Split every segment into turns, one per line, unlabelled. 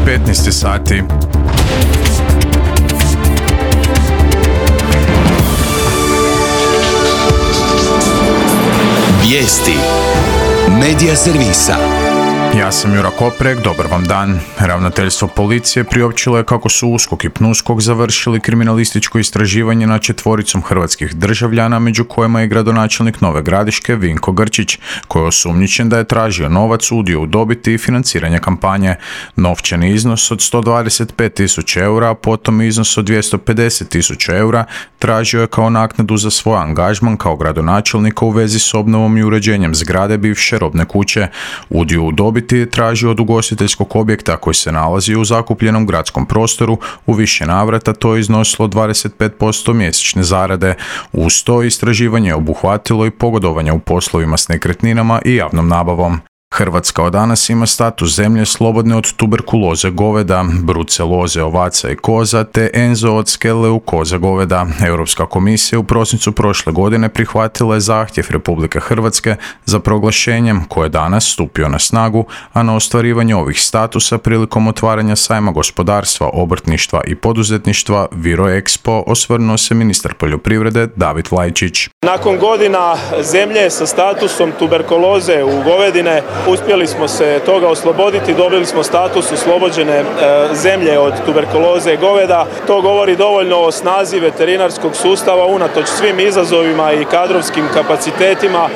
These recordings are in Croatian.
15 sati.
Vijesti Medija servisa.
Ja sam Jura Koprek, dobar vam dan. Ravnateljstvo policije priopćilo je kako su USKOK i PNUSKOK završili kriminalističko istraživanje nad 4 hrvatskih državljana, među kojima je gradonačelnik Nove Gradiške Vinko Grčić, koji je osumnjičen da je tražio novac, udio u dobiti i financiranje kampanje. Novčani iznos od 125.000 eura, a potom iznos od 250.000 eura tražio je kao naknadu za svoj angažman kao gradonačelnika u vezi s obnovom i uređenjem zgrade bivše robne kuće. Udio u dobiti je tražio od ugostiteljskog objekta koji se nalazi u zakupljenom gradskom prostoru, u više navrata to je iznosilo 25% mjesečne zarade. Uz to istraživanje je obuhvatilo i pogodovanje u poslovima s nekretninama i javnom nabavom. Hrvatska od danas ima status zemlje slobodne od tuberkuloze goveda, bruceloze ovaca i koza te enzootske leukoze goveda. Europska komisija u prosincu prošle godine prihvatila je zahtjev Republike Hrvatske za proglašenjem koje je danas stupio na snagu, a na ostvarivanje ovih statusa prilikom otvaranja sajma gospodarstva, obrtništva i poduzetništva Viroexpo osvrnuo se ministar poljoprivrede David Vlajčić.
Nakon godina zemlje sa statusom tuberkuloze u govedine uspjeli smo se toga osloboditi, dobili smo status oslobođene zemlje od tuberkuloze goveda. To govori dovoljno o snazi veterinarskog sustava unatoč svim izazovima i kadrovskim kapacitetima.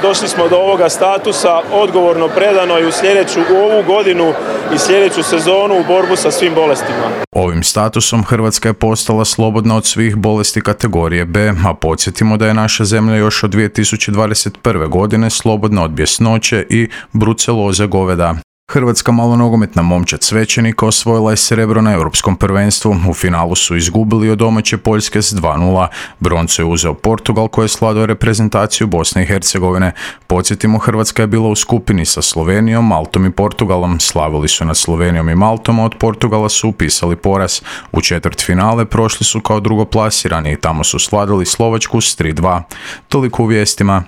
Došli smo do ovoga statusa odgovorno, predano i u ovu godinu i sljedeću sezonu u borbu sa svim bolestima.
Ovim statusom Hrvatska je postala slobodna od svih bolesti kategorije B, a podsjetimo da je naša zemlja još od 2021. godine slobodna od bjesnoće i bruceloze goveda. Hrvatska malonogometna momčad Svećenika osvojila je srebro na Europskom prvenstvu. U finalu su izgubili od domaće Poljske s 2:0. Broncu je uzeo Portugal koji je slavio reprezentaciju Bosne i Hercegovine. Podsjetimo, Hrvatska je bila u skupini sa Slovenijom, Maltom i Portugalom. Slavili su nad Slovenijom i Maltom, a od Portugala su upisali poraz. U četvrtfinale prošli su kao drugoplasirani i tamo su slavili Slovačku s 3:2. Toliko u vijestima.